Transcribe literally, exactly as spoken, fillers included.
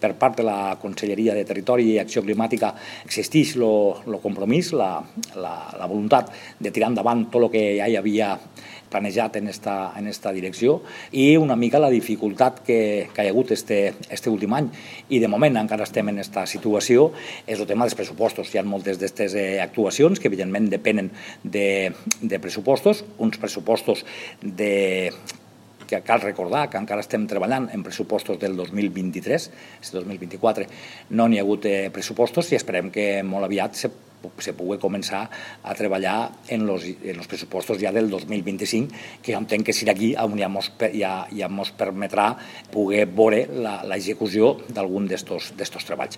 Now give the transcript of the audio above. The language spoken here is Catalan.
Per part de la Conselleria de Territori i Acció Climàtica existeix el compromís, la, la, la voluntat de tirar endavant tot el que ja hi havia planejat en esta, en esta direcció i una mica la dificultat que, que hi ha hagut este, este últim any. I de moment encara estem en aquesta situació, és el tema dels pressupostos. Hi ha moltes d'aquestes actuacions que evidentment depenen de, de pressupostos, uns pressupostos de... que cal recordar que encara estem treballant en pressupostos del dos mil vint-i-tres, este dos mil vint-i-quatre no n'hi ha hagut pressupostos i esperem que molt aviat se, se pugui començar a treballar en los, en los pressupostos ja del dos mil vint-i-cinc, que jo entenc que serà aquí on ja mos, ja, ja mos permetrà poder veure l'execució d'algun d'estos treballs.